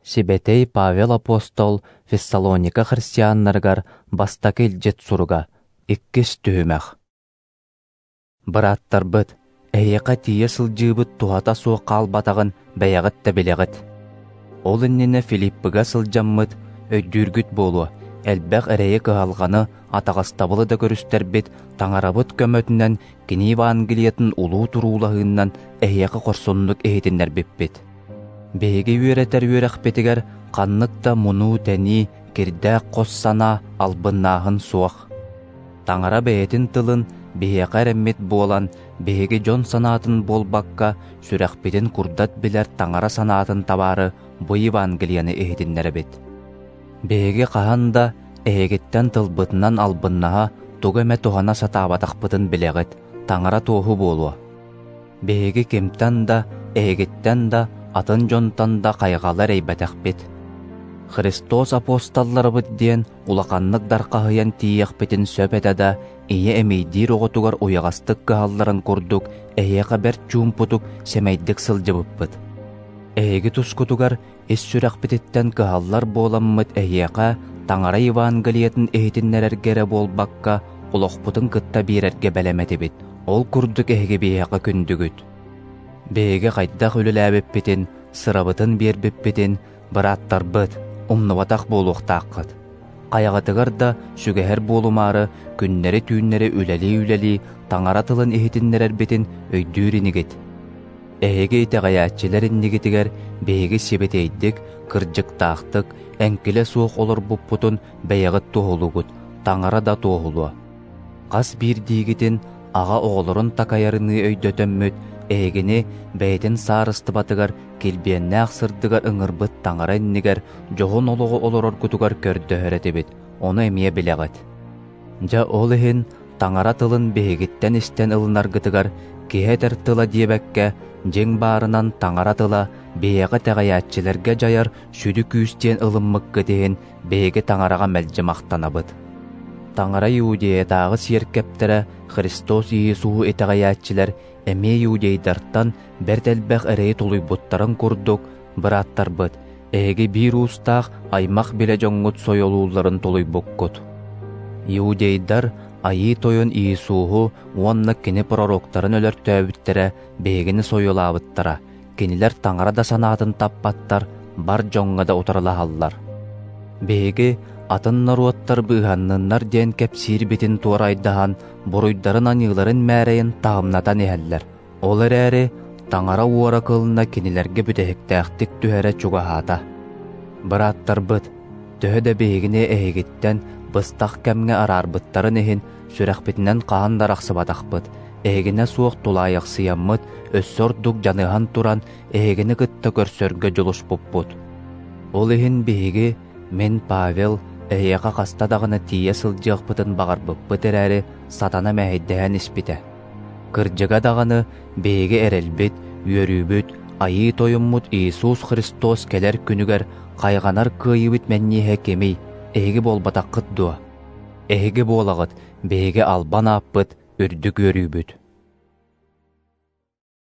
Сибэтэй Павел апостол Фессалоника христианнарыгар бастакы илдьит суруга, иккис түһүмэх. Бырааттарбыт, эһиэхэ тиийэ сылдьыыбыт туһата суох хаалбатаҕын бэйэҕит да билэҕит. Ол иннинэ Филиппыга сылдьаммыт, өйдүүргүт буолуо, элбэх эрэйи-кыһалҕаны, атаҕастабылы да көрүстэрбит, Таҥарабыт көмөтүнэн кини Евангелиетын улуу туруулаһыыннан эһиэхэ хорсуннук иһитиннэрбиппит. Биһиги үөрэтэр үөрэхпитигэр ханнык да мунуу-тэнии, кирдээх хос санаа, албыннааһын суох. Таҥара бэйэтин тылын биһиэхэ эрэммит буолан, биһиги дьон санаатын буолбакка, сүрэхпитин курдат билэр Таҥара санаатын табаары бу Евангелиены иһитиннэрэбит. Биһиги хаһан да эһигиттэн тылбытынан албыннаһа, тугу эмэ туһана сатаабатахпытын билэҕит, Таҥара туоһу буолуо. Биһиги кимтэн да, эһигиттэн да, атын дьонтон да хайҕалы эрэйбэтэхпит. Христос апостолларыбыт диэн улаханнык дархаһыйан тиийиэхпитин сөп этэ да, ийэ эмиийдиир оҕотугар уйаҕастык кыһалларын курдук эһиэхэ бэрт чуумпутук, сэмэйдик сылдьыбыппыт. Эһиги тускутугар ис сүрэхпититтэн кыһаллар буоламмыт эһиэхэ Таҥара Евангелиетын иһитиннэрэргэ эрэ буолбакка, олохпутун кытта биэрэргэ бэлэм этибит. Ол курдук эһиги биһиэхэ күндүгүт. Биһиги хайдах үлэлээбиппитин, сырабытын биэрбиппитин, бырааттарбыт, умнубатах буолуохтааххыт. Хайаҕытыгар да сүгэһэр буолумаары, күннэри-түүннэри үлэлии-үлэлии Таҥара тылын иһитиннэрэрбитин өйдүүр инигит. Эһиги итэҕэйээччилэр иннигитигэр биһиги сибэтиэйдик, кырдьыктаахтык, эҥкилэ суох олорбуппутун бэйэҕит туоһулуугут, Таҥара да туоһулуо. Хас биирдиигитин аҕа оҕолорун такайарыныы өйдөтөммүт, эһигини бэйэтин саарыстыбатыгар килбиэннээх сырдыгар ыҥырбыт Таҥара иннигэр дьоһун олоҕу олороргутугар көрдөһөр этибит, ону эмиэ билэҕит. Дьэ ол иһин Таҥара тылын биһигиттэн истэн ылынаргытыгар киһи этэр тыла диэбэккэ, дьиҥ баарынан Таҥара тыла биһиэхэ итэҕэйээччилэргэ дьайар сүдү күүс диэн ылыммыккыт иһин биһиги Таҥараҕа мэлдьи махтанабыт. Таҥара Иудеятааҕы сиэркэптэрэ Христос Иисуһу итэҕэйээччилэр эмиэ иудейдартан бэрт элбэх эрэйи тулуйбуттарын курдук, бырааттарбыт, эһиги биир уустаах аймах-билэ дьоҥҥут сойуолуулларын тулуйбуккут. Иудейдар Айыы Тойон Иисуһу уонна кини пророктарын өлөртөөбүттэрэ биһигини сойуолаабыттара, кинилэр Таҥара да санаатын таппаттар, бар дьоҥҥо да утарылаһаллар. Биһиги атын норуоттар быыһанныннар диэн кэпсиирбитин туорайдаһан, буруйдарын-аньыыларын мээрэйин таһымнатан иһэллэр. Ол эрээри Таҥара уора кылына кинилэргэ бүтэһиктээхтик түһэрэ чугаһаата. Бырааттарбыт, төһө да биһигини эһигиттэн быстах кэмҥэ араарбыттарын иһин, сүрэхпитинэн хаһан да арахсыбатахпыт, эһигинэ суох тулаайахсыйаммыт, өссө ордук дьаныһан туран эһигини кытта көрсөргө дьулуспуппут. Ол иһин биһиги, мин Павел, эһиэхэ хаста даҕаны тиийэ сылдьыахпытын баҕарбыппыт эрээри, сатана мэһэйдэһэн испитэ. Кырдьыга даҕаны, биһиги эрэлбит, үөрүүбүт, Айыы Тойоммут Иисус Христос кэлэр күнүгэр хайҕанар кыайыыбыт мэнньиэһэ кимий, эһиги буолбатаххыт дуо? Эһиги буолаҕыт, биһиги албан ааппыт, үрдүк үөрүүбүт.